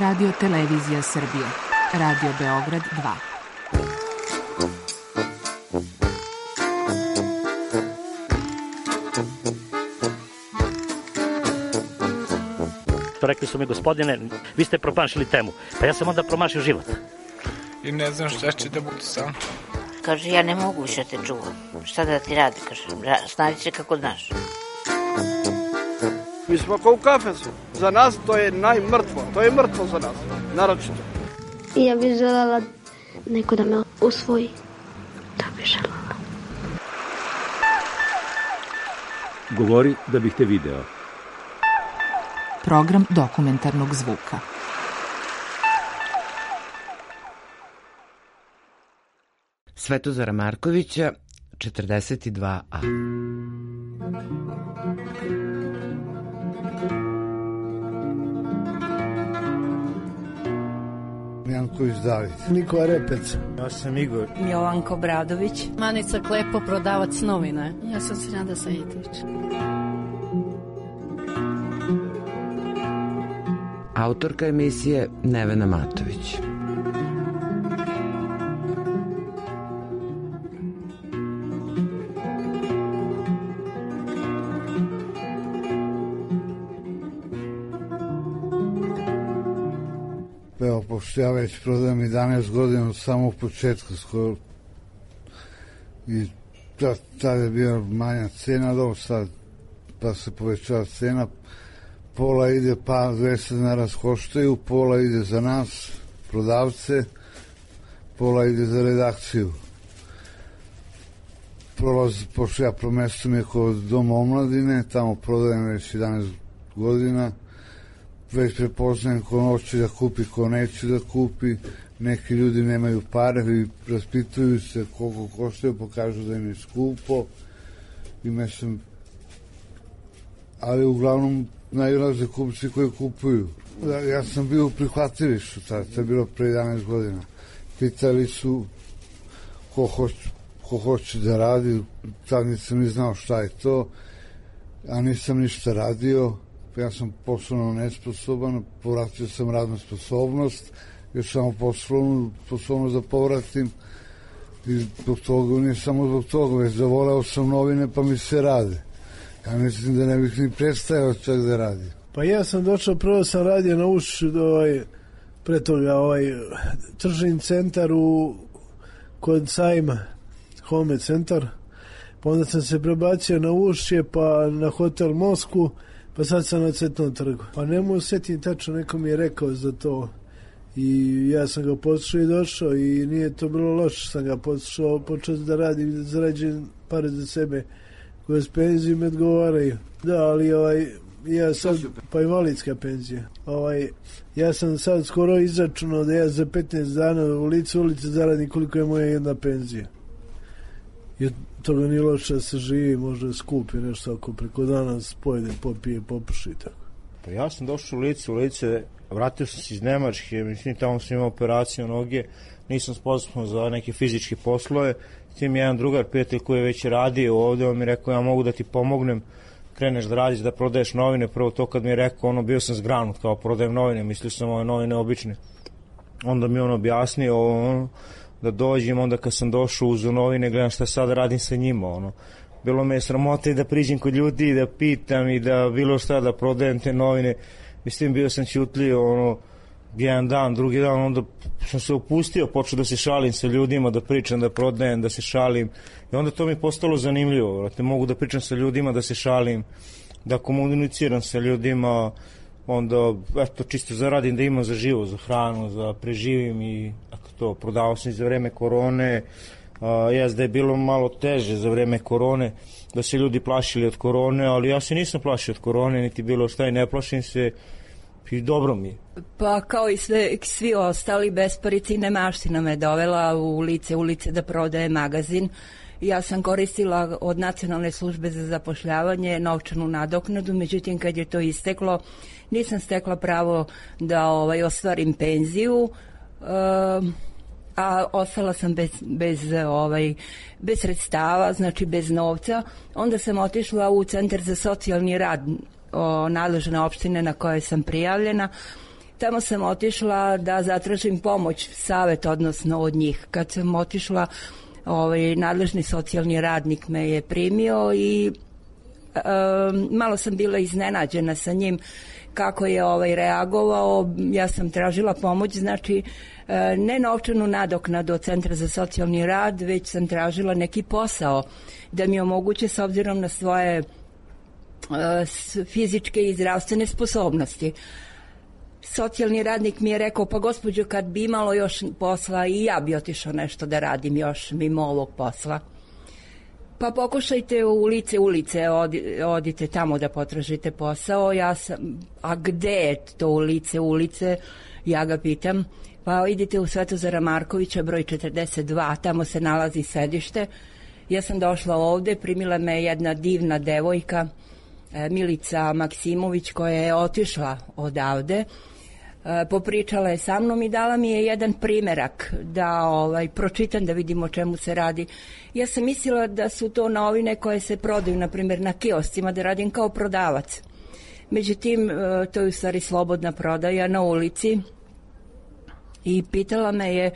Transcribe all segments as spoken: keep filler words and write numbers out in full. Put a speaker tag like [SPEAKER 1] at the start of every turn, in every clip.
[SPEAKER 1] Radio Televizija Srbije. Radio Beograd dva.
[SPEAKER 2] Rekli su mi, gospodine, vi ste promašili temu. Pa ja sam onda promašio život.
[SPEAKER 3] I ne znam šta će da bude sam.
[SPEAKER 4] Kaže, ja ne mogu više te čuvam. Šta da ti radi, kaže, snađi se kako znaš.
[SPEAKER 5] Mi smo kao u kafesu. Za nas to je najmrtvo. To je mrtvo za nas, naročito.
[SPEAKER 6] I ja bih želela neko da me usvoji. To bih želela.
[SPEAKER 7] Govori da bih te video.
[SPEAKER 1] Program dokumentarnog zvuka.
[SPEAKER 8] Svetozara Markovića, četrdeset dva a.
[SPEAKER 9] Janković David. Nikola Repec.
[SPEAKER 10] Ja sam Igor.
[SPEAKER 11] Jovanko Bradović.
[SPEAKER 12] Manica Klepo, prodavac novine.
[SPEAKER 13] Ja sam Sinada Sajitović.
[SPEAKER 8] Autorka emisije Nevena Matović.
[SPEAKER 9] Evo, pošto ja već prodajem jedanaest godina od samog početka skoro. I tada je bila manja cena, do sad pa se povećava cena. Pola ide, pa dvesta dinara koštaju, pola ide za nas, prodavce, pola ide za redakciju. Prolaz, pošto ja promesto mi je kod Doma omladine, tamo prodajem već jedanaest godina, već prepoznajem ko hoće da kupi, ko neće da kupi, neki ljudi nemaju pare i raspituju se koliko koštaju, pokažu da im je skupo i mislim, ali uglavnom najlaze kupci koji kupuju. Ja sam bio u prihvatilištu, to je bilo pre jedanaest godina. Pitali su ko hoće, ko hoće da radi, tad nisam ni znao šta je to, a nisam ništa radio. Ja sam poslovno nesposoban, povratio sam radnu sposobnost, još samo poslovnu sposobnost da povratim i zbog toga, nije samo zbog toga, već zavoleo sam novine pa mi se rade. Ja mislim da ne bih ni prestajao čak da radim.
[SPEAKER 14] Pa ja sam došao, prvo sam radio na Uš, ovaj, pre toga ovaj tržni centar u, kod Sajma, Home centar, pa onda sam se prebacio na Ušće, pa na hotel Mosku, pa sad sam na Cvetnom trgu. Pa ne mogu sjetiti tačno, neko mi je rekao za to i ja sam ga poslušao i došao i nije to bilo loše, sam ga poslušao, počeo da radim, da zarađujem pare za sebe, koje s penzijom odgovaraju. Da, ali ovaj, ja sad, pa invalidska penzija. Ovaj, ja sam sad skoro izračunao da ja za petnaest dana u licu ulice zaradim koliko je moja jedna penzija. I toga nije loše da se živi, možda skupi nešto ako preko dana pojede, popije, popuši i tako.
[SPEAKER 10] Pa ja sam došao u lice, u lice, vratio sam se iz Nemačke, mislim tamo sam imao operaciju noge, nisam sposoban za neke fizičke poslove. S tim jedan drugar, prijatelj koji je već radio ovde, on mi je rekao, ja mogu da ti pomognem, kreneš da radiš, da prodaješ novine. Prvo to kad mi je rekao, ono, bio sam zgranut, kao prodajem novine, mislio sam ove novine obične. Onda mi on objasnio, ono, da dođem, onda kad sam došao uz novine, gledam šta sad radim sa njima, ono. Bilo me je sramota i da priđem kod ljudi i da pitam i da bilo šta da prodajem te novine. Mislim, bio sam ćutlio, ono, jedan dan, drugi dan, onda sam se opustio, počeo da se šalim sa ljudima, da pričam, da prodajem, da se šalim. I onda to mi je postalo zanimljivo, da mogu da pričam sa ljudima, da se šalim, da komuniciram sa ljudima, onda, eto, čisto zaradim da imam za živo, za hranu, za preživim i ako to, prodavao sam za vreme korone, a, jes da je bilo malo teže za vreme korone, da se ljudi plašili od korone, ali ja se nisam plašio od korone, niti bilo šta i ne plašim se i dobro mi je.
[SPEAKER 11] Pa kao i sve, svi ostali besparici i nemaština me dovela u lice ulice da prodaje magazin. Ja sam koristila od Nacionalne službe za zapošljavanje novčanu nadoknadu, međutim kad je to isteklo nisam stekla pravo da ovaj, ostvarim penziju, um, a ostala sam bez, bez, ovaj, bez sredstava, znači bez novca. Onda sam otišla u Centar za socijalni rad o, nadležne opštine na kojoj sam prijavljena Tamo sam otišla da zatražim pomoć, savet, odnosno od njih. Kad sam otišla, ovaj, nadležni socijalni radnik me je primio i e, malo sam bila iznenađena sa njim kako je ovaj reagovao. Ja sam tražila pomoć, znači e, ne novčanu nadoknadu od Centra za socijalni rad, već sam tražila neki posao da mi omoguće s obzirom na svoje e, fizičke i zdravstvene sposobnosti. Socijalni radnik mi je rekao, pa gospođo, kad bi imalo još posla i ja bi otišao nešto da radim još mimo ovog posla. Pa pokušajte u lice ulice, odi, odite tamo da potražite posao. Ja sam, a gde je to u lice ulice? Ja ga pitam. Pa idite u Svetozara Markovića, broj četrdeset dva, tamo se nalazi sedište. Ja sam došla ovde, primila me jedna divna devojka, Milica Maksimović, koja je otišla odavde. Popričala je sa mnom i dala mi je jedan primerak da ovaj, pročitam, da vidim o čemu se radi. Ja sam mislila da su to novine koje se prodaju, na primjer, na kioscima, da radim kao prodavac. Međutim, to je u stvari slobodna prodaja na ulici i pitala me je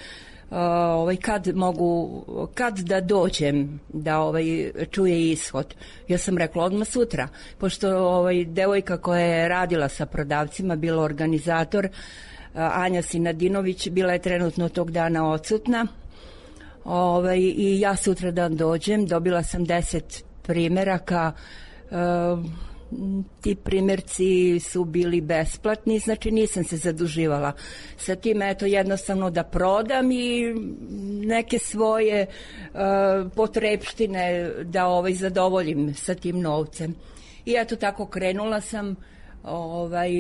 [SPEAKER 11] Uh, ovaj, kad mogu, kad da dođem da ovaj, čuje ishod. Ja sam rekla odmah sutra, pošto ovaj, devojka koja je radila sa prodavcima, bila organizator, uh, Anja Sinadinović, bila je trenutno tog dana odsutna. Ovaj, i ja sutra dan dođem, dobila sam deset primeraka, uh, ti primjerci su bili besplatni, znači nisam se zaduživala sa tim, eto, jednostavno da prodam i neke svoje uh, potrepštine da ovaj, zadovoljim sa tim novcem. I eto tako krenula sam, ovaj,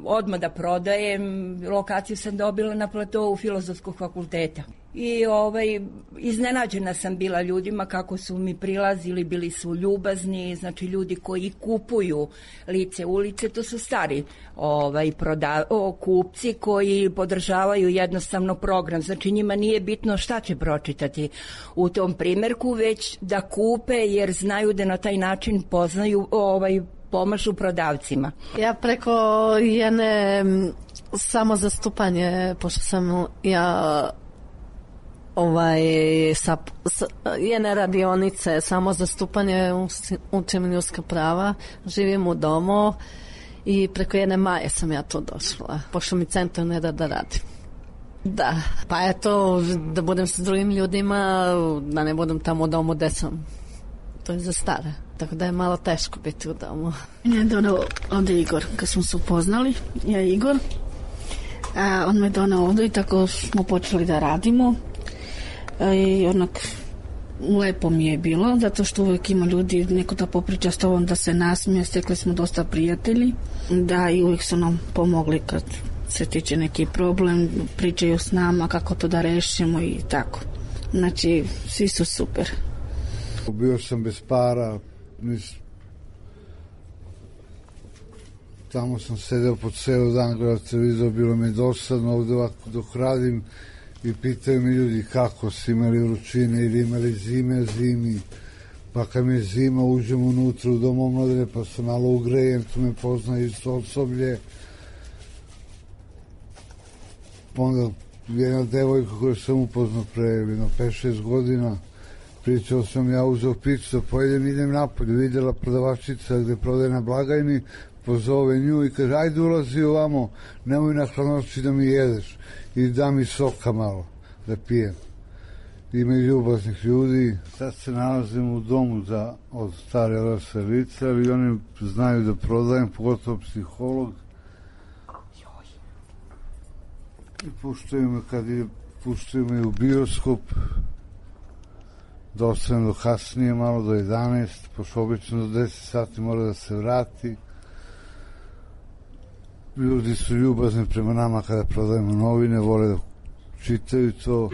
[SPEAKER 11] odmah da prodajem. Lokaciju sam dobila na platovu Filozofskog fakulteta. I ovaj, iznenađena sam bila ljudima kako su mi prilazili, bili su ljubazni, znači ljudi koji kupuju lice ulice, to su stari ovaj, proda, o, kupci koji podržavaju jednostavno program, znači njima nije bitno šta će pročitati u tom primjerku, već da kupe jer znaju da na taj način poznaju, ovaj, pomažu prodavcima.
[SPEAKER 12] Ja preko jedne samozastupanje, pošto sam ja ovaj, sa, sa jedne radionice samozastupanje, učim ljudska prava, živim u domu i preko jedne Maje sam ja to došla, pošto mi centar ne da da radim. Da, pa eto, da budem sa drugim ljudima, da ne budem tamo u domu gde sam. To je za stare, tako da je malo teško biti u domu.
[SPEAKER 13] Ja je donao ovde Igor, kad smo se upoznali, ja i Igor. A on me donao ovde i tako smo počeli da radimo. A, i onak, lepo mi je bilo, zato što uvek ima ljudi, neko da popriča s tobom, da se nasmije, stekli smo dosta prijatelji. Da, i uvek su nam pomogli kad se tiče neki problem, pričaju s nama kako to da rešimo i tako. Znači, svi su super.
[SPEAKER 9] Bio sam bez para, nis... tamo sam sedeo po ceo dan, gledao televizor, bilo mi dosadno ovde ovako dok radim i pitaju mi ljudi kako su imali vrućine ili imali zime, zimi, pa kad mi je zima uđem unutra u dom omladine pa se malo ugrejem, tu me poznaje isto osoblje. Onda jedna devojka koju sam upoznao pre jedno pet šest godina, pričao sam, ja uzeo picu da pojedem, idem napolje, vidjela prodavačica gde prodaje na blagajni, pozove nju i kaže, ajde ulazi ovamo, nemoj na hladnoći da mi jedeš i da mi soka malo da pijem. Ima i ljubaznih ljudi. Sad se nalazim u domu za, od stare rase lica, ali oni znaju da prodajem, pogotovo psiholog. I puštaju me kad je, puštaju me u bioskop, da ostanem do kasnije, malo do jedanaest, pošto obično do deset sati mora da se vrati. Ljudi su ljubazni prema nama kada prodajemo novine, vole da čitaju to.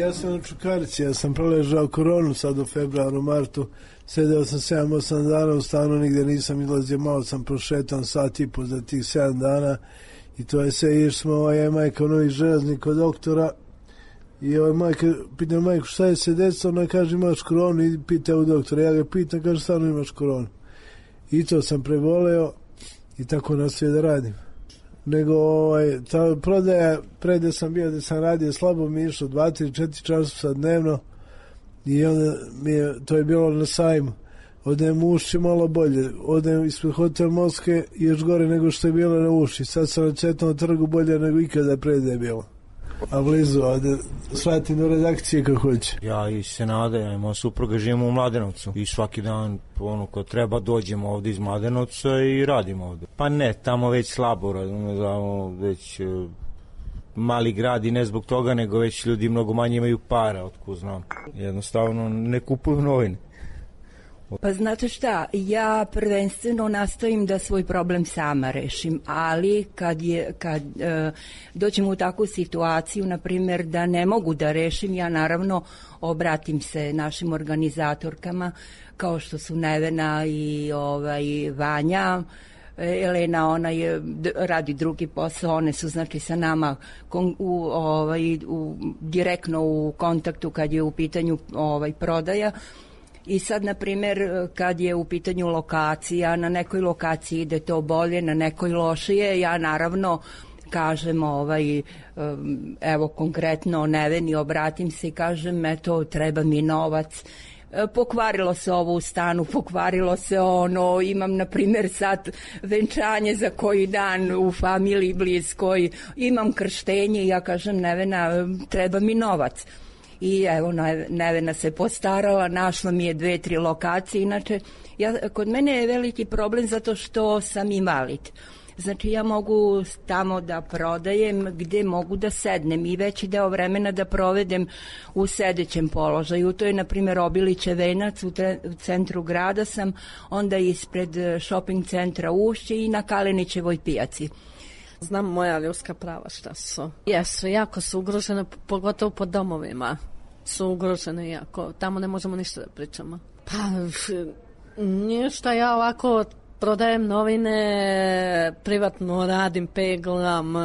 [SPEAKER 14] Ja sam na Čukarici, ja sam preležao koronu sad u februaru, martu, sedeo sam sedam osam dana u stanu, nigde nisam izlazio, malo sam prošetan sat i po za tih sedam dana i to je sve, iš smo, ovaj je majka u Novi Železnik kod doktora i ovaj majka, pitam majku šta je se desilo, ona kaže imaš koronu i pita u doktora, ja ga pitam, kaže stvarno imaš koronu i to sam preboleo i tako nastavio da radim. Nego ovaj, ta prodaja, pre da sam bio da sam radio slabo mi išlo dva tri četiri časa dnevno i onda mi je, to je bilo na sajmu. Odem u Ušće malo bolje, odem ispred Hotel Moske i još gore nego što je bilo na Ušći. Sad sam na Cvjetnom trgu bolje nego ikada pre da je bilo. A blizu, a da shvatim do redakcije kako hoće.
[SPEAKER 10] Ja i Senada, ja imam supruga, živimo u Mladenovcu i svaki dan, ono, kad treba dođemo ovde iz Mladenovca i radimo ovde. Pa ne, tamo već slabo radimo, tamo već uh, mali grad i ne zbog toga, nego već ljudi mnogo manje imaju para, otko znam. Jednostavno ne kupuju novine.
[SPEAKER 11] Pa znate šta, ja prvenstveno nastojim da svoj problem sama rešim, ali kad, je, kad e, dođem u takvu situaciju, na primjer, da ne mogu da rešim, ja naravno obratim se našim organizatorkama, kao što su Nevena i ovaj, Vanja. Elena, ona je, radi drugi posao, one su znači sa nama kon, u, ovaj, u, direktno u kontaktu kad je u pitanju ovaj, prodaja. I sad, na primjer, kad je u pitanju lokacija, na nekoj lokaciji ide to bolje, na nekoj lošije, ja naravno kažem, ovaj, evo konkretno Neveni, obratim se i kažem, eto, treba mi novac, pokvarilo se ovo u stanu, pokvarilo se ono, imam na primjer sad venčanje za koji dan u familiji bliskoj, imam krštenje i ja kažem, Nevena, treba mi novac. I evo, Nevena se postarala, našla mi je dve, tri lokacije. Inače, ja, kod mene je veliki problem zato što sam invalid. Znači, ja mogu tamo da prodajem gde mogu da sednem i veći deo vremena da provedem u sedećem položaju. To je, na primjer, Obiliće Venac, u, tre, u centru grada sam, onda ispred shopping centra Ušće i na Kalenićevoj pijaci.
[SPEAKER 12] Znam moja ljudska prava šta su. Jesu, jako su ugrožene, pogotovo po domovima su ugrožene jako. Tamo ne možemo ništa da pričamo. Pa, ništa, ja ovako prodajem novine, privatno radim, peglam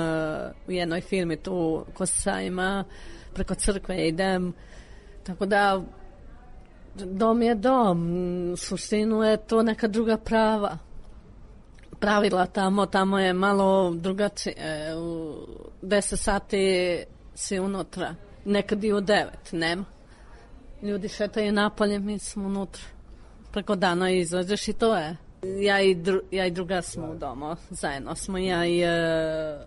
[SPEAKER 12] u jednoj firmi tu kod sajma, preko crkve idem. Tako da, dom je dom, suštinu je to neka druga prava. Pravila tamo, tamo je malo drugačije, u deset sati si unutra, nekad i u devet, nema. Ljudi šetaju napolje, mi smo unutra. Preko dana izađeš i to je. Ja i, dru, ja i druga smo u domu, zajedno smo, ja i, e,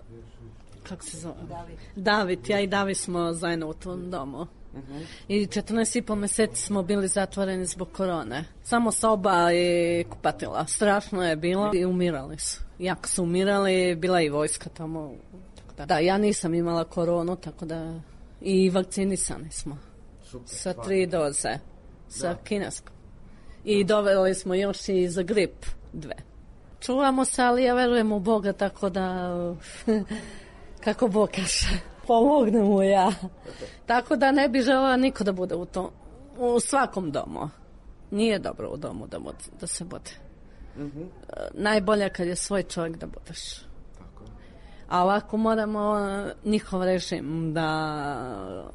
[SPEAKER 12] kako se zove? David. David, ja i David smo zajedno u tom domu. Uh-huh. I četrnaest i po meseci smo bili zatvoreni zbog korone. Samo soba i kupatila. Strašno je bilo i umirali su. Jako su umirali, bila i vojska tamo. Tako da. Da, ja nisam imala koronu, tako da i vakcinisani smo. Super, sa tri doze. Sa da. Kineskom. I doveli smo još i za grip dve. Čuvamo se, ali ja verujem u Boga, tako da kako Bog kaže. Pomogne mu ja. Tako da ne bi želala niko da bude u tom, u svakom domu. Nije dobro u domu da, bude, da se bude. Mm-hmm. Najbolje kad je svoj čovjek da budeš. Tako. A ovako moramo njihov režim da,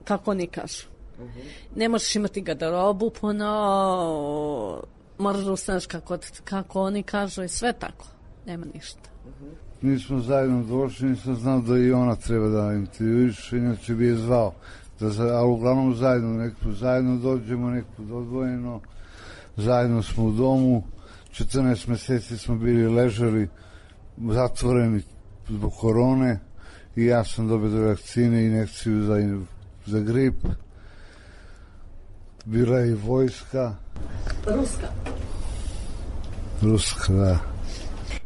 [SPEAKER 12] kako oni kažu. Mm-hmm. Ne možeš imati garderobu puno, moraš da ustaneš kako, kako oni kažu i sve tako. Nema ništa. Mm-hmm.
[SPEAKER 9] Mi smo zajedno došli, nisam znao da i ona treba da intervjuiš, inače bi je zvao. Da, ali uglavnom zajedno, nekako zajedno dođemo, nekako odvojeno, zajedno smo u domu, četrnaest meseci smo bili ležali, zatvoreni zbog korone i ja sam dobio vakcine i injekciju za, za grip. Bila je i vojska.
[SPEAKER 12] Ruska.
[SPEAKER 9] Ruska, da.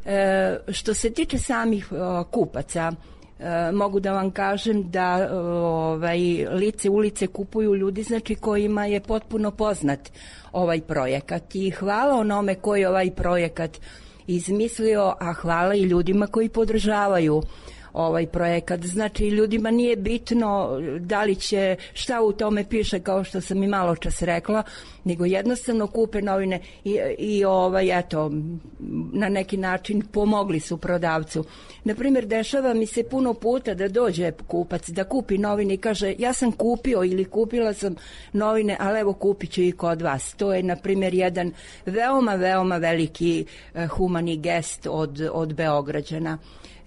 [SPEAKER 11] E, što se tiče samih o, kupaca, e, mogu da vam kažem da o, ovaj, lice ulice kupuju ljudi, znači kojima je potpuno poznat ovaj projekat i hvala onome koji je ovaj projekat izmislio, a hvala i ljudima koji podržavaju ovaj projekat. Znači, ljudima nije bitno da li će, šta u tome piše, kao što sam i malo čas rekla, nego jednostavno kupe novine i, i ovaj, eto, na neki način pomogli su prodavcu. Naprimjer, dešava mi se puno puta da dođe kupac, da kupi novine i kaže, ja sam kupio ili kupila sam novine, ali evo kupit ću i kod vas. To je, na primjer, jedan veoma, veoma veliki eh, humani gest od, od Beograđana.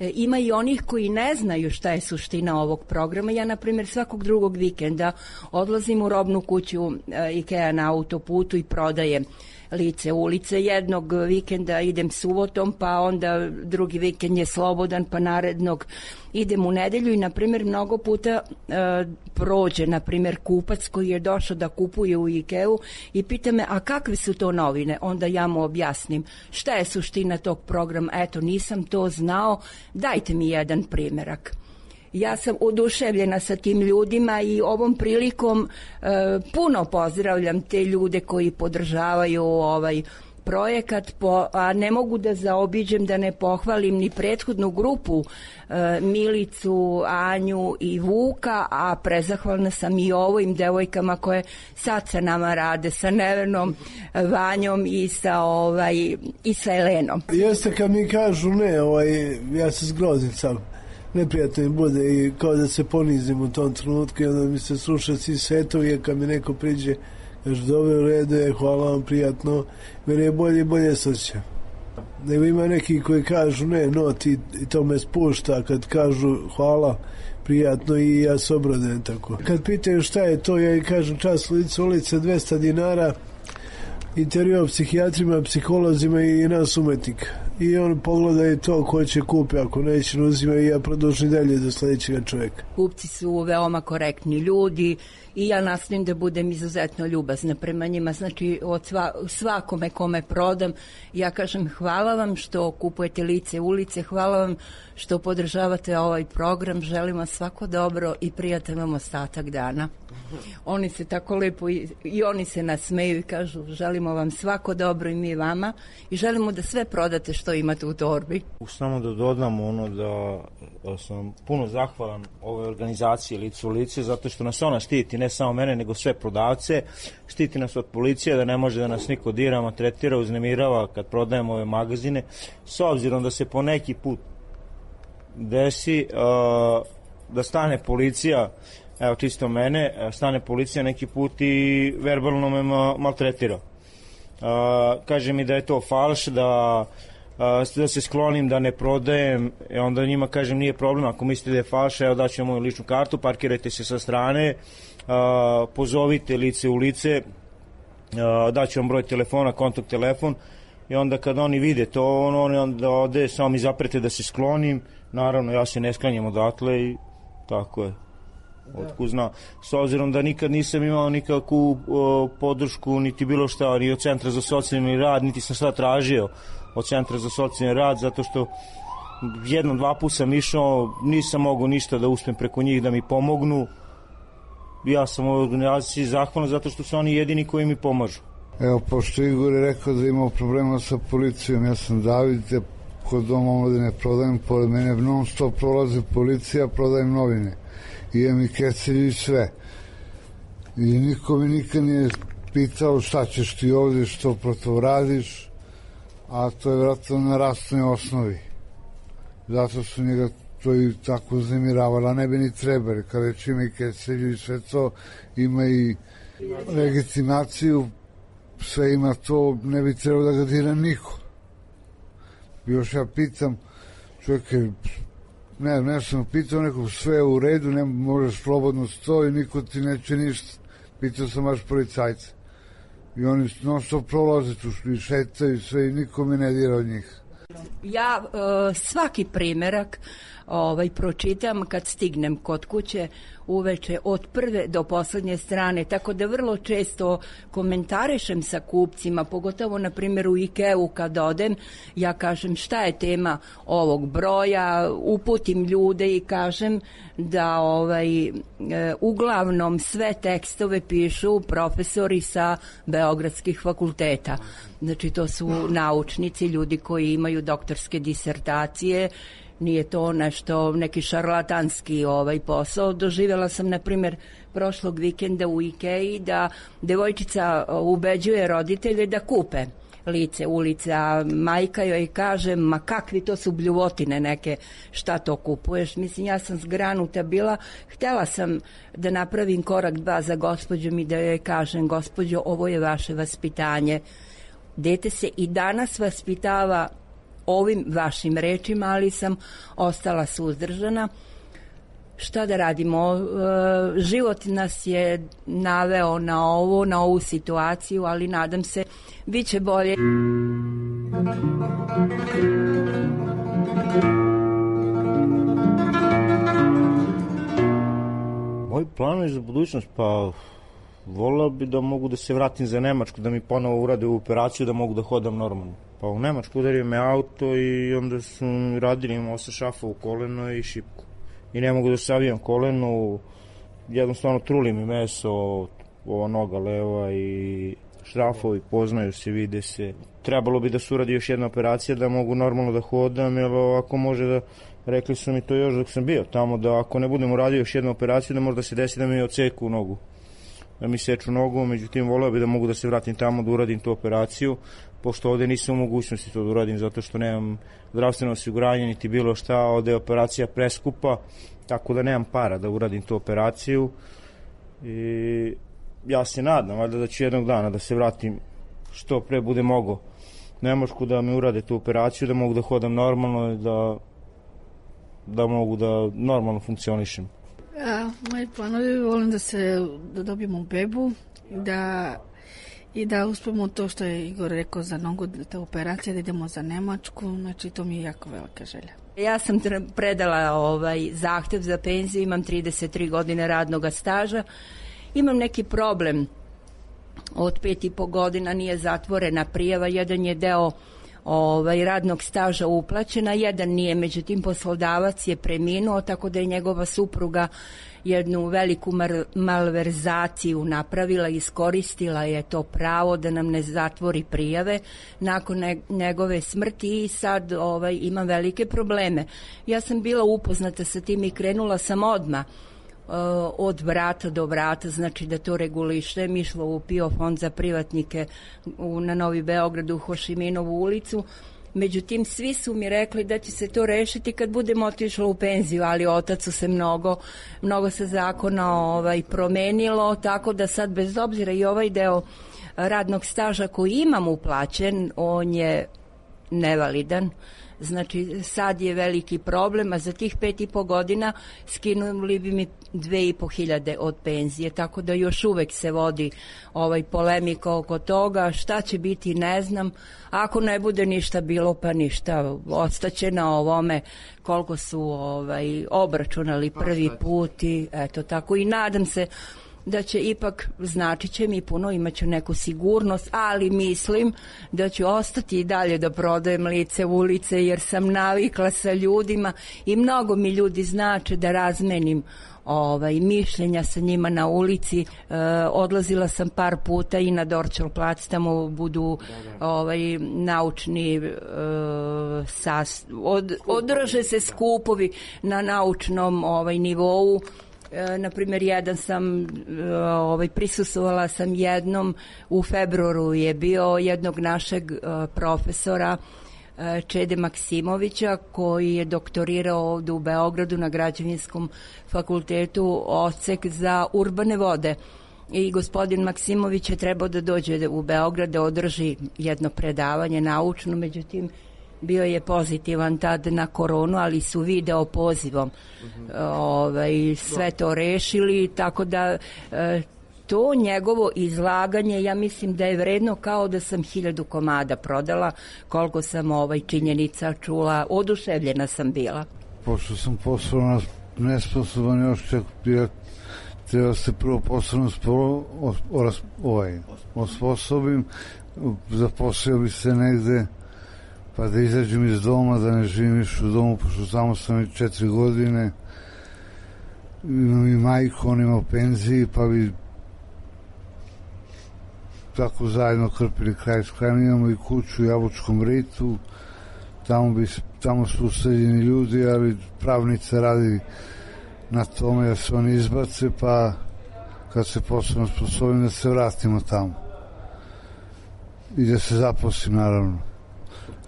[SPEAKER 11] E, ima i onih koji ne znaju šta je suština ovog programa. Ja, na primjer, svakog drugog vikenda odlazim u robnu kuću e, IKEA na autoputu i prodajem lice ulice. Jednog vikenda idem subotom, pa onda drugi vikend je slobodan, pa narednog idem u nedelju i, na primjer, mnogo puta e, prođe, na primjer, kupac koji je došao da kupuje u IKEA-u i pita me, a kakve su to novine? Onda ja mu objasnim šta je suština tog programa. Eto, nisam to znao, dajte mi jedan primjerak. Ja sam oduševljena sa tim ljudima i ovom prilikom e, puno pozdravljam te ljude koji podržavaju ovaj projekat, po, a ne mogu da zaobiđem da ne pohvalim ni prethodnu grupu, e, Milicu, Anju i Vuka, a prezahvalna sam i ovim devojkama koje sad sa nama rade, sa Nevenom, Vanjom i sa, ovaj, i sa Elenom.
[SPEAKER 14] Jeste, kad mi kažu ne, ovaj, ja se zgrozim sam. Neprijatno mi bude i kao da se ponizim u tom trenutku i onda mi se sluša svi svetovi, kad mi neko priđe, kaže, dobro, u redu je, hvala vam, prijatno, meni je bolje i bolje sosjećam. Nego ima neki koji kažu ne, no, ti, i to me spušta, kad kažu hvala, prijatno, i ja se obradujem tako. Kad pitaju šta je to, ja i kažem, čas lice ulice, dvesta dinara, intervju o psihijatrima, psiholozima i nas umetnika. I on pogleda i to ko će kupi, ako neće ne uzima, i ja produžim dalje do sljedećega čovjeka.
[SPEAKER 11] Kupci su veoma korektni ljudi i ja nastojim da budem izuzetno ljubazna prema njima. Znači, od sva, svakome kome prodam, ja kažem hvala vam što kupujete lice ulice, hvala vam što podržavate ovaj program, želim vam svako dobro i prijatan vam ostatak dana. Oni se tako lepo i, i oni se nasmeju i kažu želimo vam svako dobro i mi vama i želimo da sve prodate što imate u torbi.
[SPEAKER 10] Samo da dodam ono da, da sam puno zahvalan ovoj organizaciji Lice u lice, zato što nas ona štiti, ne samo mene nego sve prodavce, štiti nas od policije da ne može da nas niko dira, maltretira, uznemirava kad prodajemo ove magazine, s obzirom da se po neki put desi uh, da stane policija, evo čisto mene, stane policija neki put i verbalno me maltretira. Uh, kaže mi da je to falš, da, uh, da se sklonim, da ne prodajem, i onda njima kažem nije problem, ako mislite da je falš, evo daću moju ličnu kartu, parkirajte se sa strane, uh, pozovite Lice u lice, uh, daću vam broj telefona, kontakt telefon, i onda kad oni vide to, on, oni onda ode, samo mi zaprete da se sklonim, naravno ja se ne sklanjam odatle i tako je. Otkud zna, s obzirom da nikad nisam imao nikakvu o, podršku niti bilo šta, ni od Centra za socijalni rad, niti sam šta tražio od Centra za socijalni rad, zato što jednom, dva put sam išao, nisam mogao ništa da uspem preko njih da mi pomognu. Ja sam u organizaciji zahvalan zato što su oni jedini koji mi pomažu.
[SPEAKER 9] Evo, pošto Igor je rekao da imao problema sa policijom, ja sam David, ja kod Doma omladine prodajem, pored mene non stop prolazi policija, prodajem novine. I imam i kecelju i sve. I niko mi nikad nije pitao šta ćeš ti ovdje, što protiv radiš, a to je vjerojatno na rastnoj osnovi. Zato su njega to i tako uznemiravali, a ne bi ni trebali. Kada već ima i kecelju i sve to, ima i legitimaciju, sve ima to, ne bi trebalo da ga dira niko. Još ja pitam, čovjek je, ne, ne sam pitao nekog, sve je u redu, ne možeš slobodno stoji, niko ti neće ništa. Pitao sam baš policajce. I oni non stop prolaze tu i šetaju sve i niko mi ne dira od njih.
[SPEAKER 11] Ja uh, svaki primerak ovaj, pročitam kad stignem kod kuće uveče od prve do poslednje strane, tako da vrlo često komentarišem sa kupcima, pogotovo na primjer u IKEA-u kad odem, ja kažem šta je tema ovog broja, uputim ljude i kažem da ovaj, e, uglavnom sve tekstove pišu profesori sa beogradskih fakulteta. Znači to su naučnici, ljudi koji imaju doktorske disertacije nije to nešto, neki šarlatanski ovaj posao. Doživjela sam, na primjer, prošlog vikenda u Ikeji da devojčica ubeđuje roditelje da kupe lice, ulice, a majka joj kaže, ma kakvi to su bljuvotine neke, šta to kupuješ? Mislim, ja sam zgranuta bila, htjela sam da napravim korak dva za gospođom i da joj kažem, gospođo, ovo je vaše vaspitanje. Dete se i danas vaspitava ovim vašim rečima, ali sam ostala suzdržana. Šta da radimo? E, život nas je naveo na ovo, na ovu situaciju, ali nadam se, bit će bolje.
[SPEAKER 10] Moji planovi za budućnost, pa volao bi da mogu da se vratim za Nemačku, da mi ponovo urade u operaciju, da mogu da hodam normalno. Pa u Nemačku udario me auto i onda su radili, imao se šafa u koleno i šipku. I ne mogu da savijam koleno, jednostavno truli mi meso, ova noga leva i šrafovi, poznaju se, vide se. Trebalo bi da se uradi još jedna operacija da mogu normalno da hodam, jer ako može da, rekli su mi to još dok sam bio tamo, da ako ne budem uradio još jednu operaciju, da možda se desi da mi odseku nogu, da mi seču nogu, međutim voleo bi da mogu da se vratim tamo, da uradim tu operaciju, pošto ovde nisam u mogućnosti to da uradim, zato što nemam zdravstveno osiguranje, niti bilo šta, ovde je operacija preskupa, tako da nemam para da uradim tu operaciju i ja se nadam, valjda da ću jednog dana da se vratim što pre bude mogo Nemačku, da mi urade tu operaciju, da mogu da hodam normalno i da, da mogu da normalno funkcionišem.
[SPEAKER 13] A, moji planovi, volim da se da dobijemo bebu, da i da uspemo to što je Igor rekao za nogu, ta operacija, da idemo za Nemačku, znači to mi je jako velika želja.
[SPEAKER 11] Ja sam predala ovaj zahtev za penziju, imam trideset tri godine radnog staža, imam neki problem, od pet i po godina nije zatvorena prijava, jedan je deo ovaj, radnog staža uplaćena, jedan nije, međutim poslodavac je preminuo, tako da je njegova supruga jednu veliku mar- malverzaciju napravila, iskoristila je to pravo da nam ne zatvori prijave nakon ne- njegove smrti i sad ovaj, imam velike probleme. Ja sam bila upoznata sa tim i krenula sam odmah od vrata do vrata, znači da to regulišem, išla u PIO fond za privatnike u, na Novi Beograd u Hošiminovu ulicu. Međutim, svi su mi rekli da će se to rešiti kad budem otišla u penziju, ali otac su se mnogo, mnogo se zakona ovaj, promenilo, tako da sad bez obzira i ovaj deo radnog staža koji imam uplaćen, on je nevalidan. Znači, sad je veliki problem, a za tih pet i po godina skinuli bi mi dve i po hiljade od penzije, tako da još uvek se vodi ovaj polemika oko toga, šta će biti ne znam, ako ne bude ništa bilo pa ništa, ostaće na ovome koliko su ovaj obračunali prvi put i eto tako, i nadam se da će ipak, značit će mi puno, imaću neku sigurnost, ali mislim da ću ostati i dalje da prodajem lice u ulice, jer sam navikla sa ljudima i mnogo mi ljudi znače da razmenim ovaj, mišljenja sa njima na ulici. E, odlazila sam par puta i na Dorčel plac, tamo budu ovaj, naučni e, sas, od, održe se skupovi na naučnom ovaj, nivou. E, na primjer, jedan sam, e, ovaj, prisustvovala sam jednom, u februaru je bio jednog našeg e, profesora e, Čede Maksimovića, koji je doktorirao ovdje u Beogradu na Građevinskom fakultetu odsek za urbane vode. I gospodin Maksimović je trebao da dođe u Beograd da održi jedno predavanje naučno, međutim bio je pozitivan tad na koronu, ali su video pozivom uh-huh. ovaj, sve to rešili, tako da e, to njegovo izlaganje, ja mislim da je vredno kao da sam hiljadu komada prodala, koliko sam ovaj činjenica čula, oduševljena sam bila.
[SPEAKER 9] Pošto sam poslovno nesposoban još, čak ja treba se prvo poslovno sporo, o, o, ovaj, osposobim, zaposlio bi se negde, pa da izađem iz doma, da ne živim više u domu, pošto samo sam i četiri godine, imam i majku, on ima penziji, pa bi tako zajedno krpili kraj s krajem. Imamo i kuću u Jabučkom ritu, tamo bi tamo su useljeni ljudi, ali pravnica radi na tome da se oni izbace, pa kad se posebno sposobim da se vratimo tamo i da se zaposlim, naravno.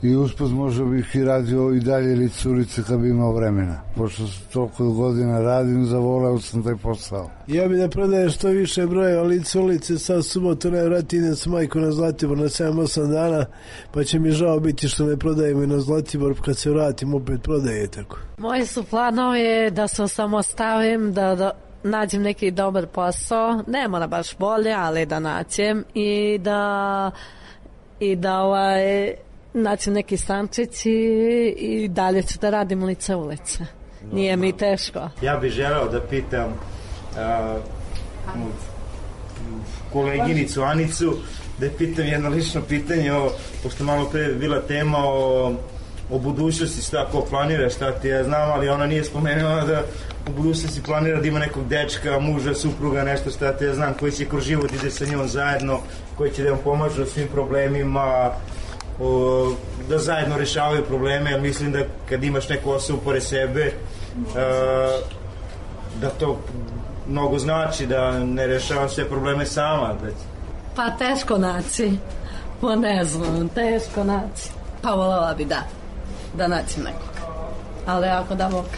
[SPEAKER 9] I usput možda bih i radio i dalje lice ulice kad bi imao vremena. Pošto toliko godina radim, zavoleo sam taj posao.
[SPEAKER 14] Ja bi da prodajem što više brojeva lice ulice, sad subotu najvratnije idem sa majku na Zlatibor na sedam osam dana, pa će mi žao biti što ne prodajemo i na Zlatibor, kad se vratim opet prodaje tako.
[SPEAKER 12] Moji su planovi da se osamostavim, da, da nađem neki dobar posao, ne mora baš bolje, ali da nađem i da i da ovaj naćem neki stančić i, i dalje ću da radim lice ulice. Nije mi teško.
[SPEAKER 10] Ja bih želeo da pitam uh, koleginicu Anicu, da je pitam jedno lično pitanje, o, pošto malo pre je bila tema o, o budućnosti, šta ko planira, šta ti ja znam, ali ona nije spomenula da u budućnosti planira da ima nekog dečka, muža, supruga, nešto šta ti ja znam, koji će kroz život ide sa njom zajedno, koji će da vam pomažu u svim problemima, o, da zajedno rešavaju probleme, jer mislim da kad imaš neku osobu pored sebe, a, da to mnogo znači, da ne rešava sve probleme sama. Da...
[SPEAKER 12] Pa teško naći, pa ne znam, teško naći. Pa voljela bi da, da naći nekog. Ali ako da mogu.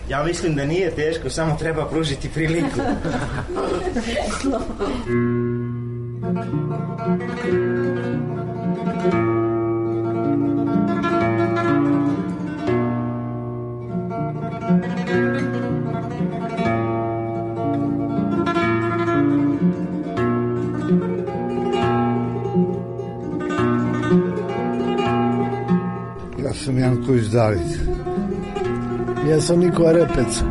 [SPEAKER 10] Ja mislim da nije teško, samo treba pružiti priliku.
[SPEAKER 9] Ja sam Janković David.
[SPEAKER 14] Ja sam Nikola Repec.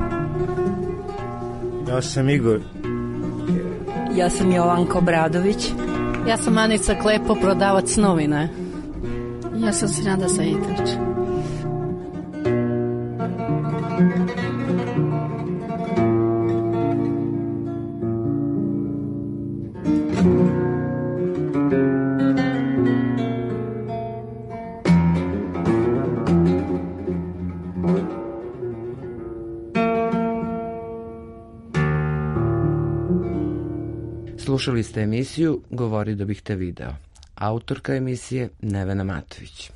[SPEAKER 10] Ja sam Igor.
[SPEAKER 11] Ja sam Jovanka Obradović.
[SPEAKER 12] Ja sam Anica Klepo, prodavac novine.
[SPEAKER 13] Ja sam Sinada Sajidović.
[SPEAKER 8] Slušali ste emisiju Govori da bih te video. Autorka emisije Nevena Matović.